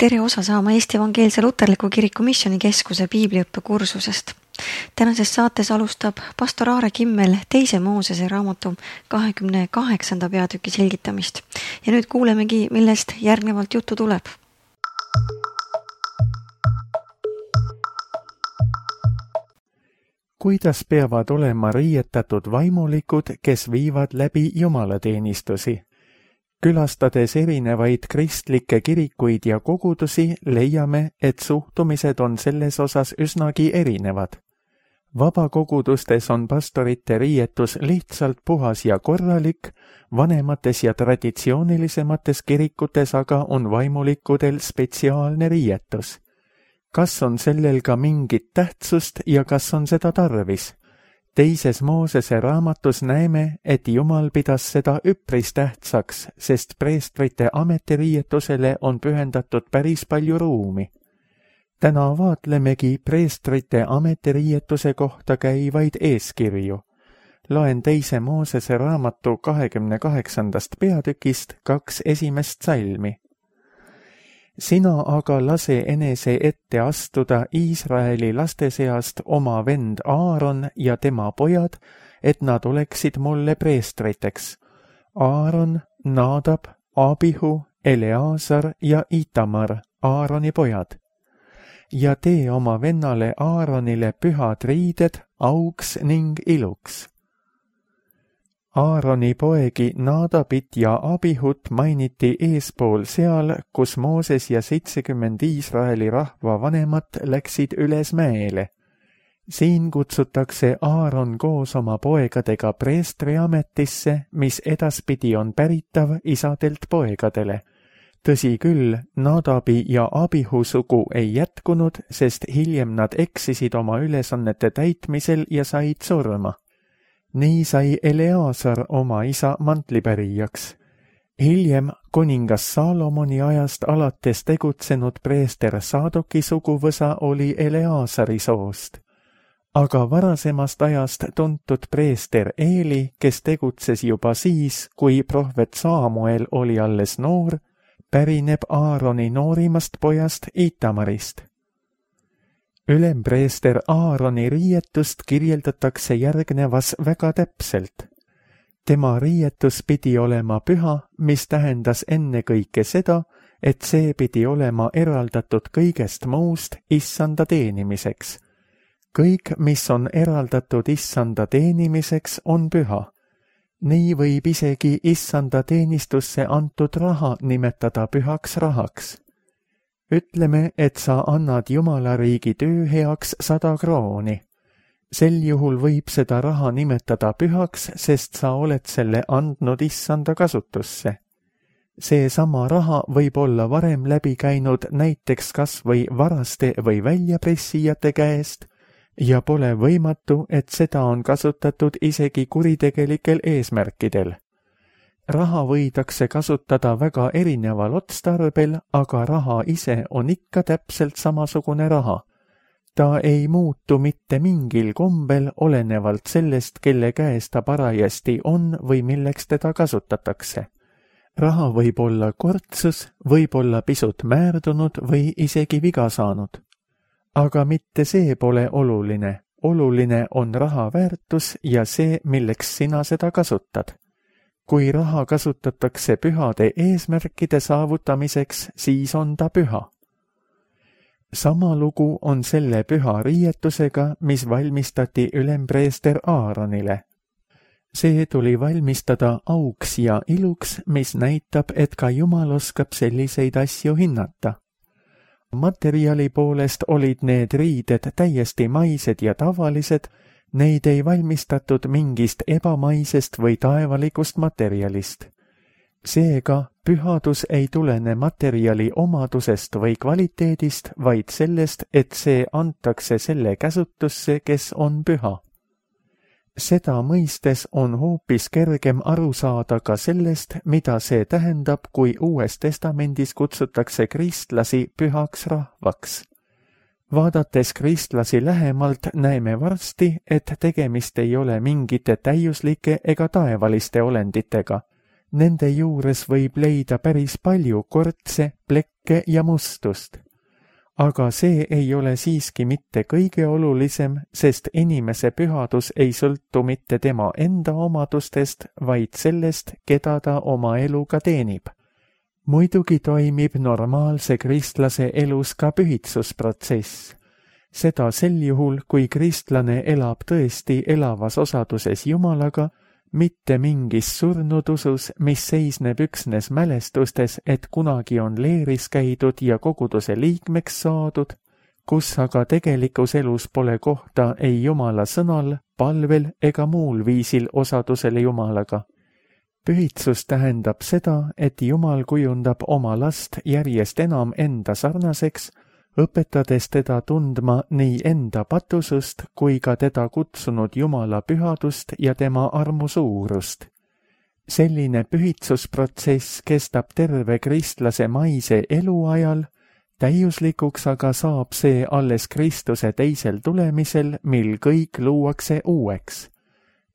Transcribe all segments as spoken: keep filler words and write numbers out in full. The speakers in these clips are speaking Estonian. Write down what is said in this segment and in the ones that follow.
tere osa saama Eesti Evangeelse Luterliku Kiriku Missioonikeskuse piibliõppekursusest. Tänases saates alustab pastor Aare Kimmel teise Moosese raamatu kahekümne kaheksanda peatüki selgitamist. Ja nüüd kuulemegi, millest järgnevalt juttu tuleb. Kuidas peavad olema riietatud vaimulikud, kes viivad läbi jumalateenistusi? Külastades erinevaid kristlikke kirikuid ja kogudusi, leiame, et suhtumised on selles osas üsnagi erinevad. Vabakogudustes on pastorite riietus lihtsalt puhas ja korralik, vanemates ja traditsioonilisemates kirikutes aga on vaimulikudel spetsiaalne riietus. Kas on sellel ka mingit tähtsust ja kas on seda tarvis? Teises Moosese raamatus näeme, et Jumal pidas seda üpris tähtsaks, sest preestrite ametiriietusele on pühendatud päris palju ruumi. Täna vaatlemegi preestrite ametiriietuse kohta käivaid eeskirju. Loen teise Moosese raamatu kahekümne kaheksandast peatükist kaks esimest salmi. Sina aga lase enese ette astuda Iisraeli laste seast oma vend Aaron ja tema pojad, et nad oleksid mulle preestriteks. Aaron, Nadab, Abihu, Eleazar ja Itamar, Aaroni pojad. Ja tee oma vennale Aaronile pühad riided auks ning iluks. Aaroni poegi Nadabit ja Abihut mainiti eespool seal, kus Mooses ja seitsekümmend Iisraeli rahva vanemat läksid üles mäele. Siin kutsutakse Aaron koos oma poegadega preestri ametisse, mis edaspidi on päritav isadelt poegadele. Tõsi küll, Nadabi ja Abihu sugu ei jätkunud, sest hiljem nad eksisid oma ülesannete täitmisel ja said surma. Nii sai Eleazar oma isa mantlipärijaks. Hiljem kuningas Saalomoni ajast alates tegutsenud preester Saadoki suguvõsa oli Eleazari soost. Aga varasemast ajast tuntud preester Eeli, kes tegutses juba siis, kui prohvet Saamuel oli alles noor, pärineb Aaroni noorimast pojast Itamarist. Ülempreester Aaroni riietust kirjeldatakse järgnevas väga täpselt. Tema riietus pidi olema püha, mis tähendas ennekõike seda, et see pidi olema eraldatud kõigest muust issanda teenimiseks. Kõik, mis on eraldatud issanda teenimiseks, on püha. Nii võib isegi issanda teenistusse antud raha nimetada pühaks rahaks. Ütleme, et sa annad Jumalariigi töö heaks sada krooni. Sel juhul võib seda raha nimetada pühaks, sest sa oled selle andnud issanda kasutusse. See sama raha võib olla varem läbi käinud näiteks kas või varaste või väljapressijate käest ja pole võimatu, et seda on kasutatud isegi kuritegelikel eesmärkidel. Raha võidakse kasutada väga erineval otstarbel, aga raha ise on ikka täpselt samasugune raha. Ta ei muutu mitte mingil kombel olenevalt sellest, kelle käes ta parajasti on või milleks teda kasutatakse. Raha võib olla kortsus, võib olla pisut määrdunud või isegi viga saanud. Aga mitte see pole oluline. Oluline on raha väärtus ja see, milleks sina seda kasutad. Kui raha kasutatakse pühade eesmärkide saavutamiseks, siis on ta püha. Sama lugu on selle püha riietusega, mis valmistati ülempreester Aaronile. See tuli valmistada auks ja iluks, mis näitab, et ka Jumal oskab selliseid asju hinnata. Materjali poolest olid need riided täiesti maised ja tavalised, neid ei valmistatud mingist ebamaisest või taevalikust materjalist. Seega, pühadus ei tulene materjali omadusest või kvaliteedist, vaid sellest, et see antakse selle käsutusse, kes on püha. Seda mõistes on hoopis kergem aru saada ka sellest, mida see tähendab, kui Uues Testamendis kutsutakse kristlasi pühaks rahvaks. Vaadates kristlasi lähemalt näeme varsti, et tegemist ei ole mingite täiuslike ega taevaliste olenditega. Nende juures võib leida päris palju kortse, plekke ja mustust. Aga see ei ole siiski mitte kõige olulisem, sest inimese pühadus ei sõltu mitte tema enda omadustest, vaid sellest, keda ta oma eluga teenib. Muidugi toimib normaalse kristlase elus ka pühitsusprotsess. Seda sel juhul, kui kristlane elab tõesti elavas osaduses Jumalaga, mitte mingis surnud usus, mis seisneb üksnes mälestustes, et kunagi on leeris käidud ja koguduse liikmeks saadud, kus aga tegelikus elus pole kohta ei Jumala sõnal, palvel ega muul viisil osadusele Jumalaga. Pühitsus tähendab seda, et Jumal kujundab oma last järjest enam enda sarnaseks, õpetades teda tundma nii enda patusust kui ka teda kutsunud Jumala pühadust ja tema armu suurust. Selline pühitsusprotsess kestab terve kristlase maise eluajal, täiuslikuks aga saab see alles Kristuse teisel tulemisel, mil kõik luuakse uueks.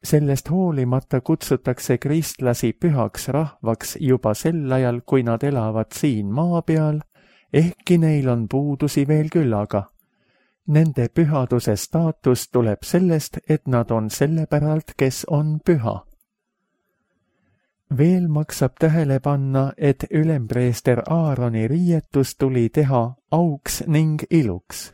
Sellest hoolimata kutsutakse kristlasi pühaks rahvaks juba sel ajal, kui nad elavad siin maa peal, ehkki neil on puudusi veel küllaga. Nende pühaduse staatus tuleb sellest, et nad on selle päralt, kes on püha. Veel maksab tähele panna, et ülempreester Aaroni riietus tuli teha auks ning iluks.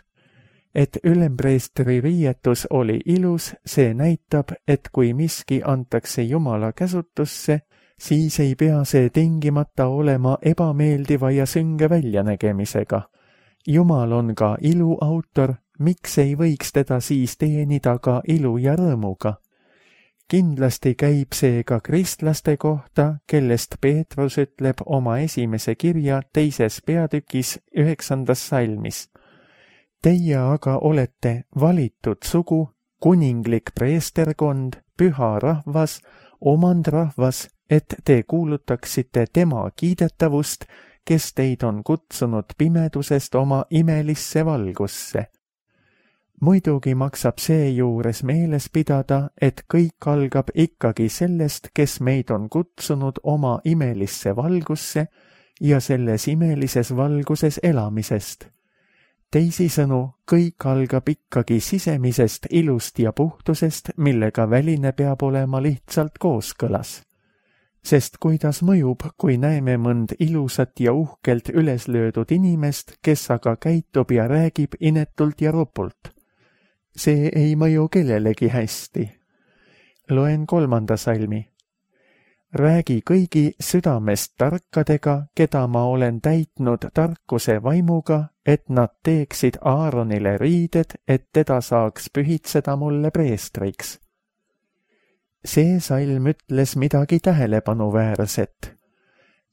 Et ülempreestri riietus oli ilus, see näitab, et kui miski antakse Jumala käsutusse, siis ei pea see tingimata olema ebameeldiva ja sünge väljanägemisega. Jumal on ka ilu autor, miks ei võiks teda siis teenida ka ilu ja rõõmuga? Kindlasti käib see ka kristlaste kohta, kellest Peetrus ütleb oma esimese kirja teises peatükis üheksandas salmis. Teie aga olete valitud sugu, kuninglik preesterkond, püha rahvas, omandrahvas, et te kuulutaksite tema kiidetavust, kes teid on kutsunud pimedusest oma imelisse valgusse. Muidugi maksab seejuures meeles pidada, et kõik algab ikkagi sellest, kes meid on kutsunud oma imelisse valgusse ja selles imelises valguses elamisest. Teisisõnu, kõik algab ikkagi sisemisest ilust ja puhtusest, millega väline peab olema lihtsalt kooskõlas. Sest kuidas mõjub, kui näeme mõnd ilusat ja uhkelt üles löödud inimest, kes aga käitub ja räägib inetult ja ropult? See ei mõju kellelegi hästi. Loen kolmanda salmi. Räägi kõigi südamest tarkadega, keda ma olen täitnud tarkuse vaimuga, et nad teeksid Aaronile riided, et teda saaks pühitseda mulle preestriks. See salm ütles midagi tähelepanuväärset.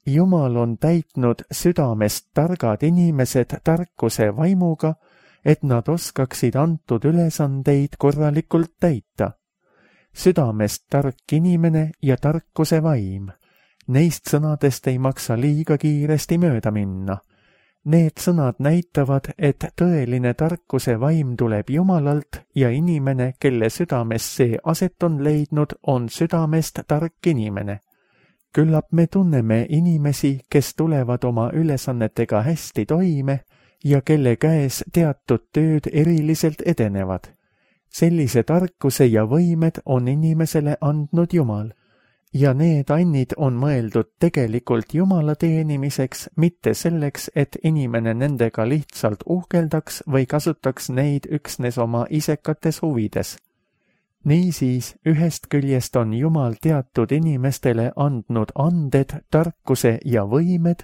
Jumal on täitnud südamest targad inimesed tarkuse vaimuga, et nad oskaksid antud ülesandeid korralikult täita. Südamest tark inimene ja tarkuse vaim. Neist sõnadest ei maksa liiga kiiresti mööda minna. Need sõnad näitavad, et tõeline tarkuse vaim tuleb Jumalalt ja inimene, kelle südames see aset on leidnud, on südamest tark inimene. Küllap me tunneme inimesi, kes tulevad oma ülesannetega hästi toime ja kelle käes teatud tööd eriliselt edenevad. Sellise tarkuse ja võimed on inimesele andnud Jumal. Ja need annid on mõeldud tegelikult Jumala teenimiseks, mitte selleks, et inimene nendega lihtsalt uhkeldaks või kasutaks neid üksnes oma isekates huvides. Niisiis, ühest küljest on Jumal teatud inimestele andnud anded, tarkuse ja võimed,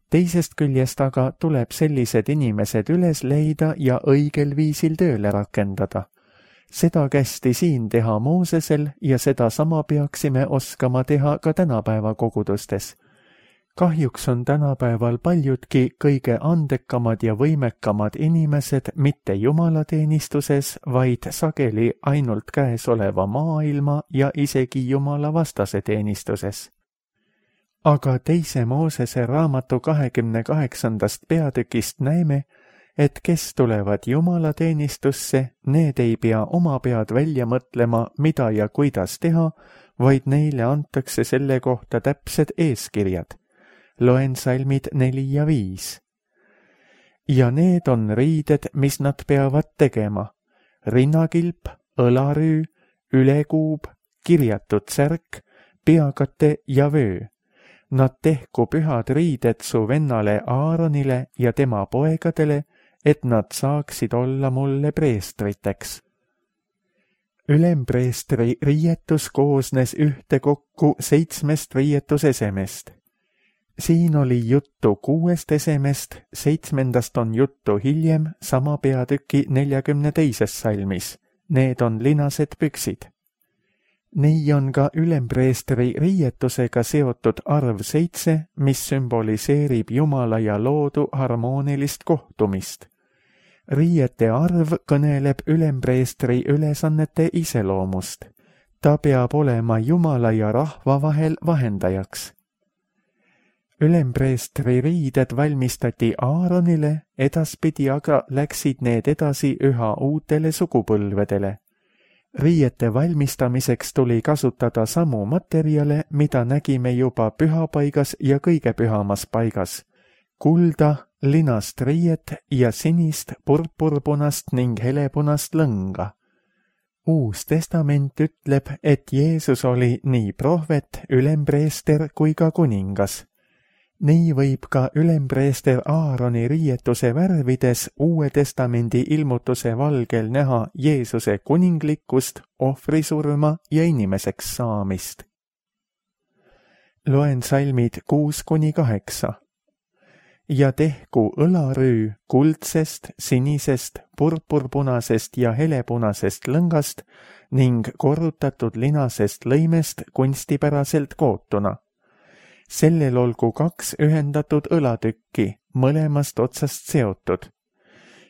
teisest küljest aga tuleb sellised inimesed üles leida ja õigel viisil tööle rakendada. Seda kästi siin teha Moosesel ja seda sama peaksime oskama teha ka tänapäeva kogudustes. Kahjuks on tänapäeval paljudki kõige andekamad ja võimekamad inimesed mitte jumalateenistuses, vaid sageli ainult käesoleva maailma ja isegi jumala vastase teenistuses. Aga teise Moosese raamatu kahekümne kaheksandast peatükist näeme, et kes tulevad Jumala teenistusse, need ei pea oma pead välja mõtlema, mida ja kuidas teha, vaid neile antakse selle kohta täpsed eeskirjad. Loen salmid neli ja viis. Ja need on riided, mis nad peavad tegema. Rinnakilp, õlarüü, ülekuub, kirjatud särk, peakate ja vöö. Nad tehku pühad riided su vennale Aaronile ja tema poegadele, et nad saaksid olla mulle preestriteks. Ülempreestri riietus koosnes ühtekokku seitsmest riietusesemest. Siin oli juttu kuuest esemest, seitsmendast on juttu hiljem sama peatüki neljakümne teises salmis. Need on linased püksid. Nii on ka ülempreestri riietusega seotud arv seitse, mis sümboliseerib Jumala ja loodu harmoonilist kohtumist. Riiete arv kõneleb ülempreestri ülesannete iseloomust. Ta peab olema Jumala ja rahva vahel vahendajaks. Ülempreestri riided valmistati Aaronile, edaspidi aga läksid need edasi üha uutele sugupõlvedele. Riiete valmistamiseks tuli kasutada samu materjale, mida nägime juba pühapaigas ja kõige pühamas paigas. Kulda, linast riiet ja sinist, purpurpunast ning helepunast lõnga. Uus testament ütleb, et Jeesus oli nii prohvet, ülempreester kui ka kuningas. Nii võib ka ülempreester Aaroni riietuse värvides Uue testamendi ilmutuse valgel näha Jeesuse kuninglikkust, ohvrisurma ja inimeseks saamist. Loen salmid kuus kuni kaheksa. Ja tehku õlarüü kuldsest, sinisest, purpurpunasest ja helepunasest lõngast ning korrutatud linasest lõimest kunstipäraselt kootuna. Sellel olgu kaks ühendatud õlatükki, mõlemast otsast seotud.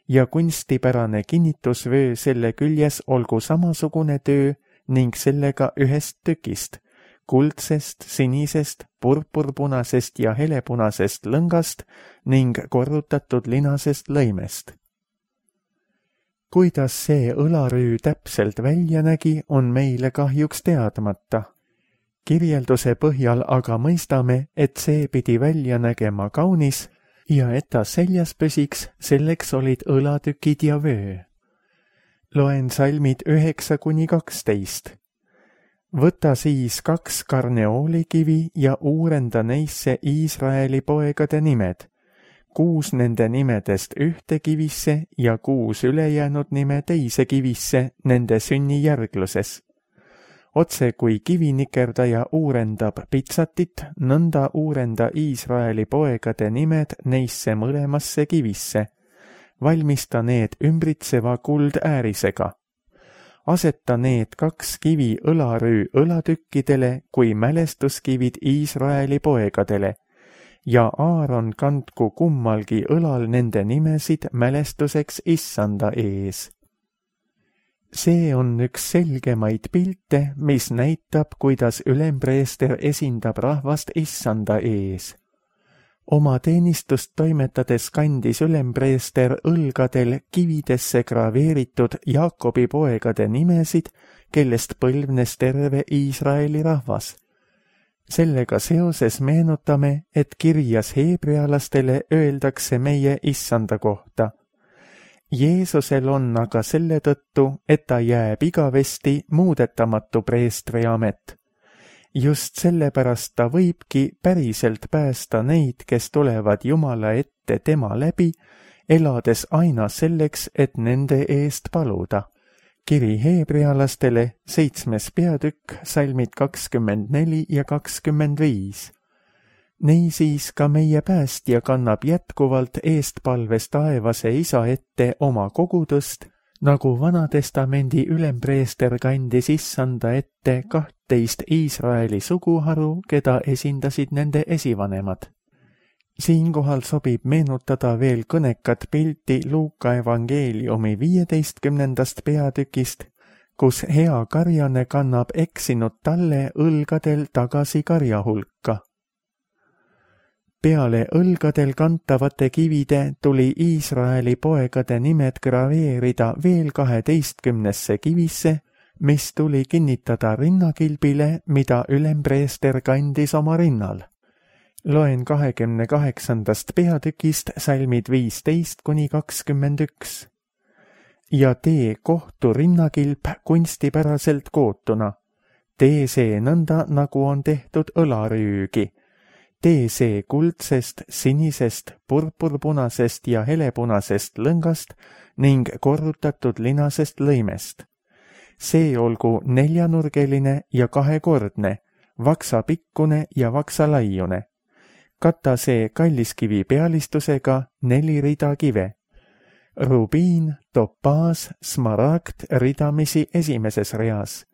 Ja kunstipärane kinnitusvöö selle küljes olgu samasugune töö ning sellega ühest tükist, kuldsest, sinisest, purpurpunasest ja helepunasest lõngast ning korrutatud linasest lõimest. Kuidas see õlarüü täpselt välja nägi, on meile kahjuks teadmata. Kirjelduse põhjal aga mõistame, et see pidi välja nägema kaunis ja et ta seljas püsiks, selleks olid õlatükid ja vöö. Loen salmid üheksa kuni kaksteist. Võta siis kaks karneoolikivi ja uurenda neisse Iisraeli poegade nimed, kuus nende nimedest ühte kivisse ja kuus ülejäänud nime teise kivisse nende sünnijärgluses. Otse kui kivinikerdaja uurendab pitsatit, nõnda uurenda Iisraeli poegade nimed neisse mõlemasse kivisse. Valmista need ümbritseva kuldäärisega. Aseta need kaks kivi õlarüü õlatükkidele kui mälestuskivid Iisraeli poegadele ja Aaron kandku kummalgi õlal nende nimesid mälestuseks Issanda ees. See on üks selgemaid pilte, mis näitab, kuidas ülempreester esindab rahvast Issanda ees. Oma teenistust toimetades kandis ülempreester õlgadel kividesse graveeritud Jaakobi poegade nimesid, kellest põlvnes terve Iisraeli rahvas. Sellega seoses meenutame, et kirjas heebrealastele öeldakse meie Issanda kohta. Jeesusel on aga selle tõttu, et ta jääb igavesti muudetamatu preestri amet. Just sellepärast ta võibki päriselt päästa neid, kes tulevad Jumala ette tema läbi, elades aina selleks, et nende eest paluda. Kiri heebrealastele, seitsmes peatükk, salmid kakskümmend neli ja kakskümmend viis. Niisiis ka meie päästja kannab jätkuvalt eestpalves taevase isa ette oma kogudust, nagu Vanatestamendi ülempreester kandis Issanda ette kahtteist Iisraeli suguharu, keda esindasid nende esivanemad. Siinkohal sobib meenutada veel kõnekat pilti Luuka evangeeliumi viieteistkümnendast peatükist, kus hea karjane kannab eksinud talle õlgadel tagasi karja hulka. Peale õlgadel kantavate kivide tuli Iisraeli poegade nimed graveerida veel kaheteistkümnesse kivisse, mis tuli kinnitada rinnakilbile, mida ülempreester kandis oma rinnal. Loen kahekümne kaheksandast peatükist salmid viisteist kuni kakskümmend üks. Ja tee kohtu rinnakilp kunstipäraselt kootuna. Tee see nõnda, nagu on tehtud õlarüügi. Tee see kuldsest, sinisest, purpurpunasest ja helepunasest lõngast ning korrutatud linasest lõimest. See olgu neljanurgeline ja kahekordne, vaksapikkune ja vaksalaiune. Kata see kalliskivi pealistusega neli rida kive. Rubiin, topaas, smaragd ridamisi esimeses reas.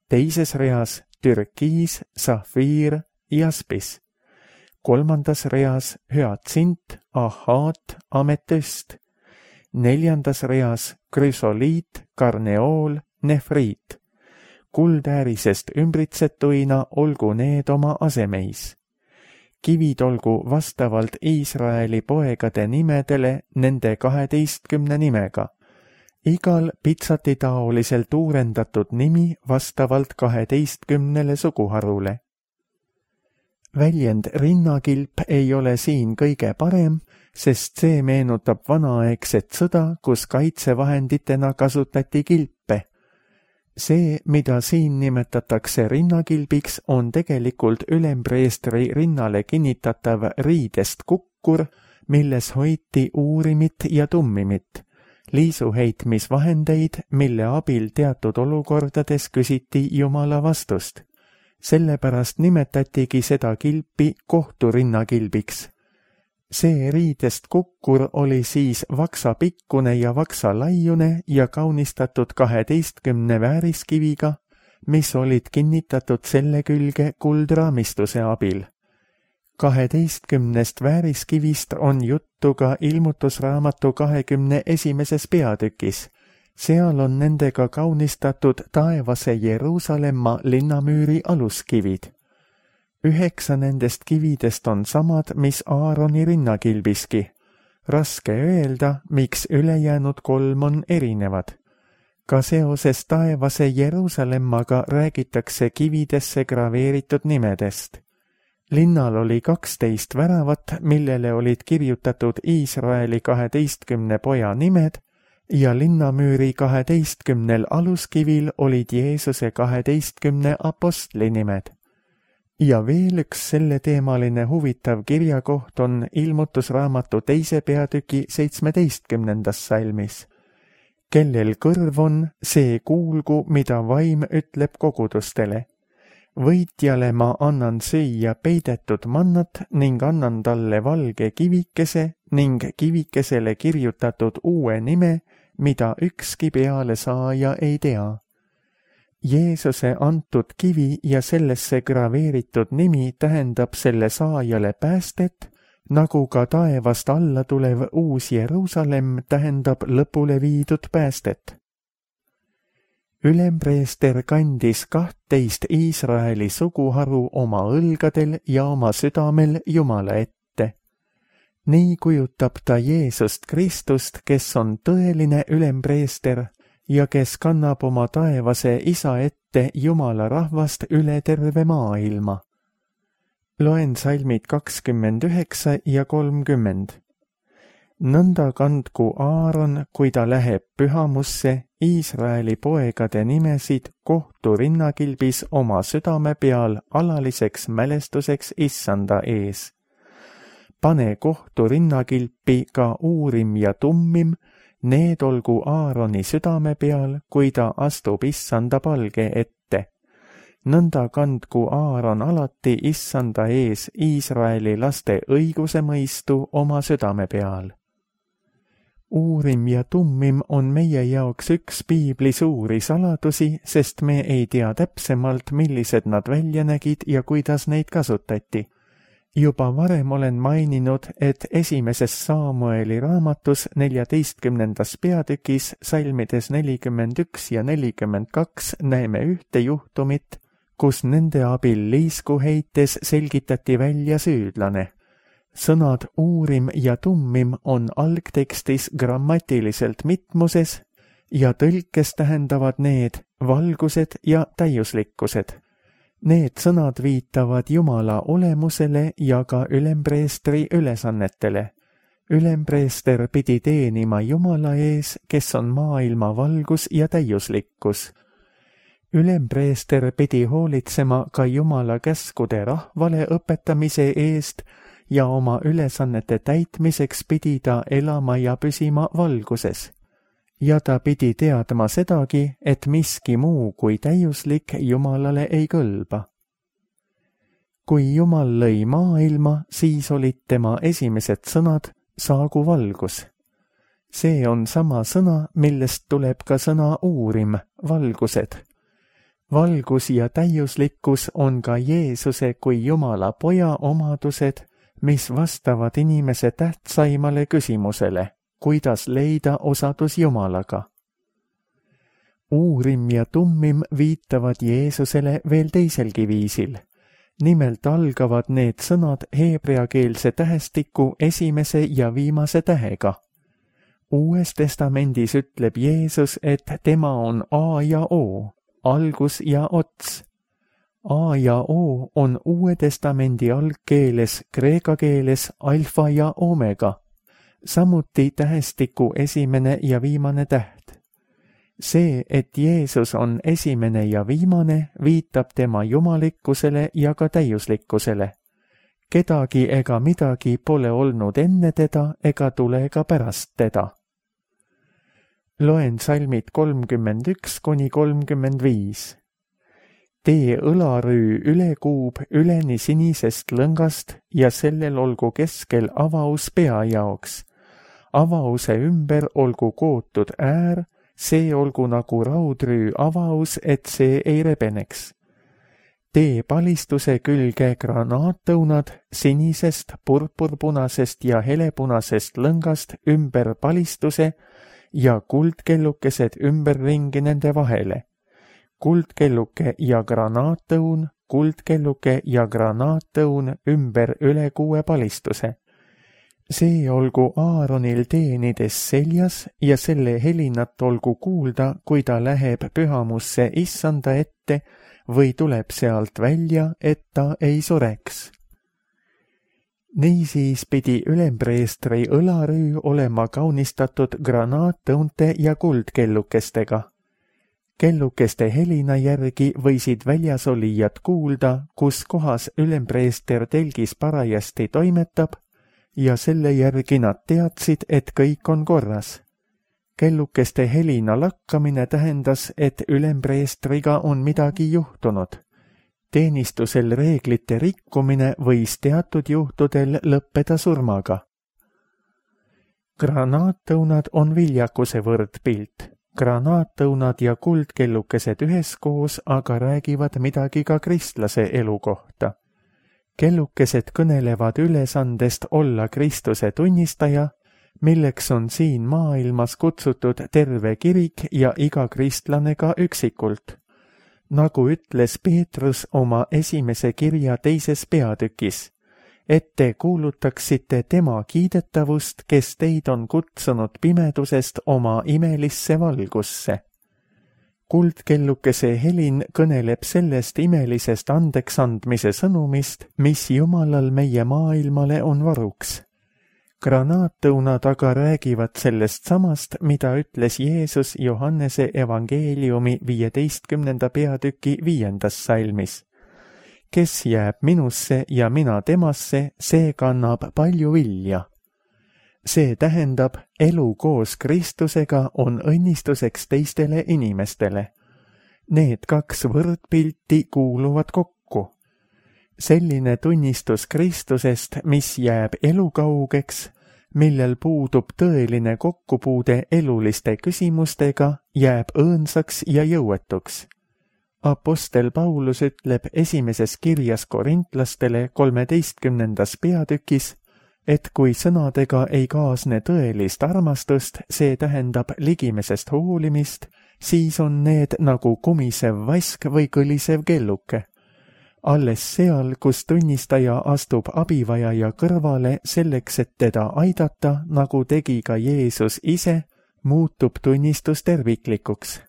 Teises reas türkiis, safiir, jaspis. Kolmandas reas hüatsint, ahaat, ametüst. Neljandas reas krüsoliit, karneool, nefriit. Kuldäärisest ümbritsetuina olgu need oma asemeis. Kivid olgu vastavalt Iisraeli poegade nimedele nende kaheteistkümne nimega. Igal pitsatitaoliselt uurendatud nimi vastavalt kaheteistkümnele suguharule. Väljend rinnakilp ei ole siin kõige parem, sest see meenutab vanaaegset sõda, kus kaitsevahenditena kasutati kilpe. See, mida siin nimetatakse rinnakilbiks, on tegelikult ülempreestri rinnale kinnitatav riidest kukkur, milles hoiti uurimit ja tummimit, liisuheitmisvahendeid, mille abil teatud olukordades küsiti Jumala vastust. Sellepärast nimetatigi seda kilpi kohturinnakilbiks. See riidest kukkur oli siis vaksapikkune ja vaksalaiune ja kaunistatud kaheteistkümne vääriskiviga, mis olid kinnitatud selle külge kuldraamistuse abil. Kaheteistkümnest vääriskivist on juttu ka ilmutusraamatu kahekümne esimeses peatükis. Seal on nendega kaunistatud taevase Jeruusalemma linnamüüri aluskivid. Üheksa nendest kividest on samad, mis Aaroni rinnakilbiski. Raske öelda, miks ülejäänud kolm on erinevad. Ka seoses taevase Jeruusalemmaga räägitakse kividesse graveeritud nimedest. Linnal oli kaksteist väravat, millele olid kirjutatud Iisraeli kaheteistkümne poja nimed ja linnamüüri kaheteistkümnel aluskivil olid Jeesuse kaheteistkümne apostli nimed. Ja veel üks selleteemaline huvitav kirjakoht on ilmutusraamatu teise peatüki seitsmeteistkümnendas salmis. Kellel kõrv on, see kuulgu, mida vaim ütleb kogudustele. Võitjale ma annan süüa peidetud mannat ning annan talle valge kivikese ning kivikesele kirjutatud uue nime, mida ükski pealesaaja ei tea. Jeesuse antud kivi ja sellesse graveeritud nimi tähendab selle saajale päästet, nagu ka taevast alla tulev uus Jeruusalemm tähendab lõpule viidud päästet. Ülempreester kandis kahtteist Iisraeli suguharu oma õlgadel ja oma südamel Jumala ette. Nii kujutab ta Jeesust Kristust, kes on tõeline ülempreester ja kes kannab oma taevase isa ette Jumala rahvast üle terve maailma. Loen salmid kakskümmend üheksa ja kolmkümmend. Nõnda kandku Aaron, kui ta läheb pühamusse, Iisraeli poegade nimesid kohtu rinnakilbis oma südame peal alaliseks mälestuseks Issanda ees. Pane kohtu rinnakilpi ka uurim ja tummim, need olgu Aaroni südame peal, kui ta astub Issanda palge ette. Nõnda kandku Aaron alati Issanda ees Iisraeli laste õiguse mõistu oma südame peal. Uurim ja tummim on meie jaoks üks piibli suuri saladusi, sest me ei tea täpsemalt, millised nad välja nägid ja kuidas neid kasutati. Juba varem olen maininud, et esimeses Saamueli raamatus neljateistkümnendas peatükis salmides nelikümmend üks ja nelikümmend kaks näeme ühte juhtumit, kus nende abil liisku heites selgitati välja süüdlane. Sõnad uurim ja tummim on algtekstis grammatiliselt mitmuses ja tõlkes tähendavad need valgused ja täiuslikkused. Need sõnad viitavad Jumala olemusele ja ka ülempreestri ülesannetele. Ülempreester pidi teenima Jumala ees, kes on maailma valgus ja täiuslikkus. Ülempreester pidi hoolitsema ka Jumala käskude rahvale õpetamise eest ja oma ülesannete täitmiseks pidi ta elama ja püsima valguses. Ja ta pidi teadma sedagi, et miski muu kui täiuslik Jumalale ei kõlba. Kui Jumal lõi maailma, siis olid tema esimesed sõnad saagu valgus. See on sama sõna, millest tuleb ka sõna uurim, valgused. Valgus ja täiuslikkus on ka Jeesuse kui Jumala poja omadused, mis vastavad inimese tähtsaimale küsimusele, kuidas leida osadus Jumalaga. Uurim ja tummim viitavad Jeesusele veel teiselgi viisil. Nimelt algavad need sõnad heebreakeelse tähestiku esimese ja viimase tähega. Uues testamendis ütleb Jeesus, et tema on A ja O, algus ja ots. A ja O on Uue testamendi algkeeles, kreeka keeles alfa ja omega, samuti tähestiku esimene ja viimane täht. See, et Jeesus on esimene ja viimane, viitab tema jumalikkusele ja ka täiuslikkusele. Kedagi ega midagi pole olnud enne teda ega tule ka pärast teda. Loen salmid kolmkümmend üks kuni kolmkümmend viis. Tee õlarüü ülekuub üleni sinisest lõngast ja sellel olgu keskel avaus pea jaoks. Avause ümber olgu kootud äär, see olgu nagu raudrüü avaus, et see ei rebeneks. Tee palistuse külge granaattõunad sinisest, purpurpunasest ja helepunasest lõngast ümber palistuse ja kuldkellukesed ümberringi nende vahele. Kuldkelluke ja granaattõun, kuldkelluke ja granaattõun ümber üle kuue palistuse. See olgu Aaronil teenides seljas ja selle helinat olgu kuulda, kui ta läheb pühamusse issanda ette või tuleb sealt välja, et ta ei sureks. Niisiis pidi ülempreestri õlarüü olema kaunistatud granaattõunte ja kuldkellukestega. Kellukeste helina järgi võisid väljasolijad kuulda, kus kohas ülempreester telgis parajasti toimetab, ja selle järgi nad teadsid, et kõik on korras. Kellukeste helina lakkamine tähendas, et ülempreestriga on midagi juhtunud. Teenistusel reeglite rikkumine võis teatud juhtudel lõppeda surmaga. Granaattõunad on viljakuse võrdpilt. Granaattõunad ja kuldkellukesed üheskoos aga räägivad midagi ka kristlase elu kohta. Kellukesed kõnelevad ülesandest olla Kristuse tunnistaja, milleks on siin maailmas kutsutud terve kirik ja iga kristlane ka üksikult. Nagu ütles Peetrus oma esimese kirja teises peatükis, et te kuulutaksite tema kiidetavust, kes teid on kutsunud pimedusest oma imelisse valgusse. Kuldkellukese helin kõneleb sellest imelisest andeksandmise sõnumist, mis Jumalal meie maailmale on varuks. Granaattõunad aga räägivad sellest samast, mida ütles Jeesus Johannese evangeeliumi viieteistkümnenda peatüki viiendas salmis. Kes jääb minusse ja mina temasse, see kannab palju vilja. See tähendab, elu koos Kristusega on õnnistuseks teistele inimestele. Need kaks võrdpilti kuuluvad kokku. Selline tunnistus Kristusest, mis jääb elukaugeks, millel puudub tõeline kokkupuude eluliste küsimustega, jääb õõnsaks ja jõuetuks. Apostel Paulus ütleb esimeses kirjas korintlastele kolmeteistkümnendas peatükis, et kui sõnadega ei kaasne tõelist armastust, see tähendab ligimesest hoolimist, siis on need nagu kumisev vask või kõlisev kelluke. Alles seal, kus tunnistaja astub abivajaja kõrvale selleks, et teda aidata, nagu tegi ka Jeesus ise, muutub tunnistus terviklikuks.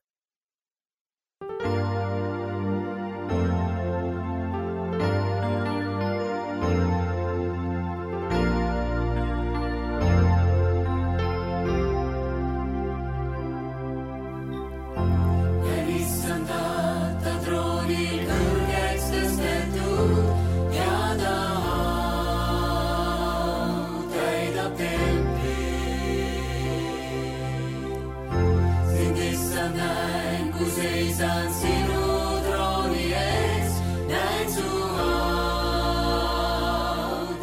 näen, kui seisan sinu trooni ees, näen su au,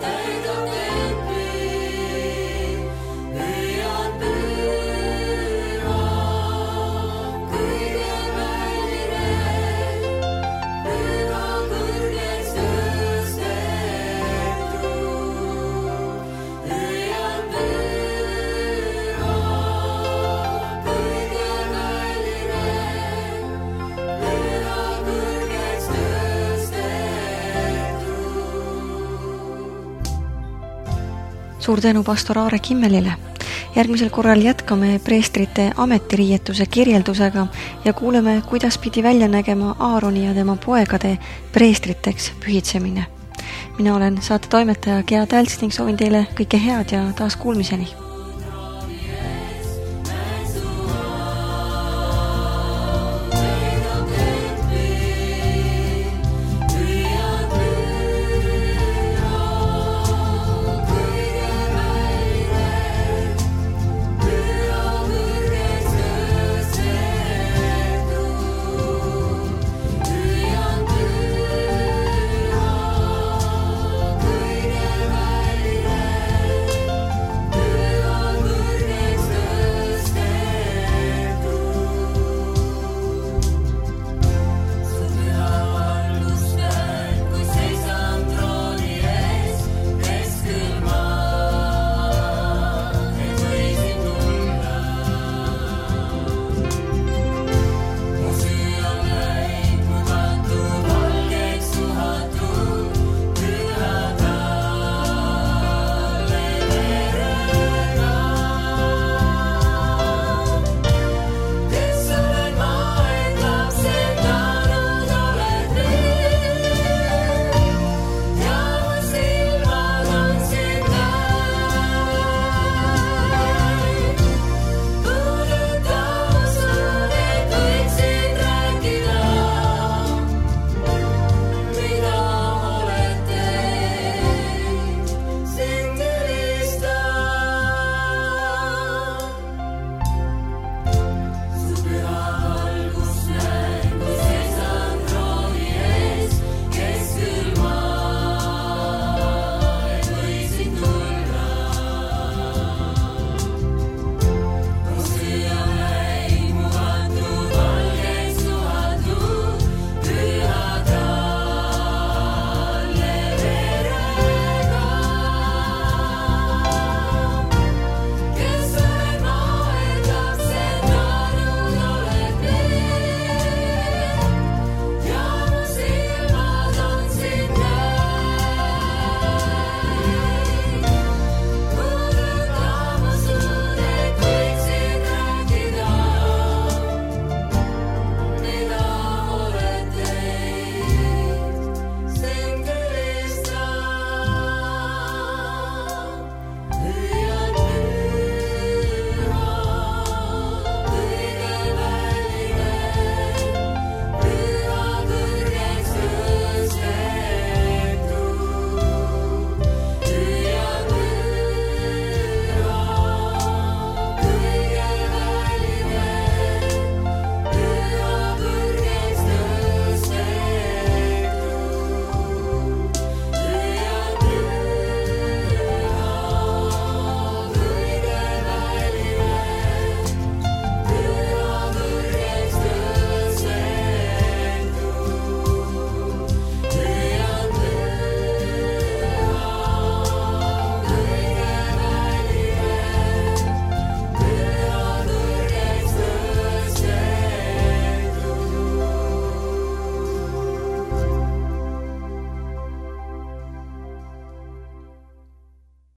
täidab templi, püüan püha, kõige väline, püha kõrgeks tõstetud, püüan püha, kõige väline, püha kõrgeks tõstetud. suur tänu pastor Aare Kimmelile. Järgmisel korral jätkame preestrite ametiriietuse kirjeldusega ja kuuleme, kuidas pidi välja nägema Aaroni ja tema poegade preestriteks pühitsemine. Mina olen saate toimetaja Gea Tälts ning soovin teile kõike head ja taas kuulmiseni.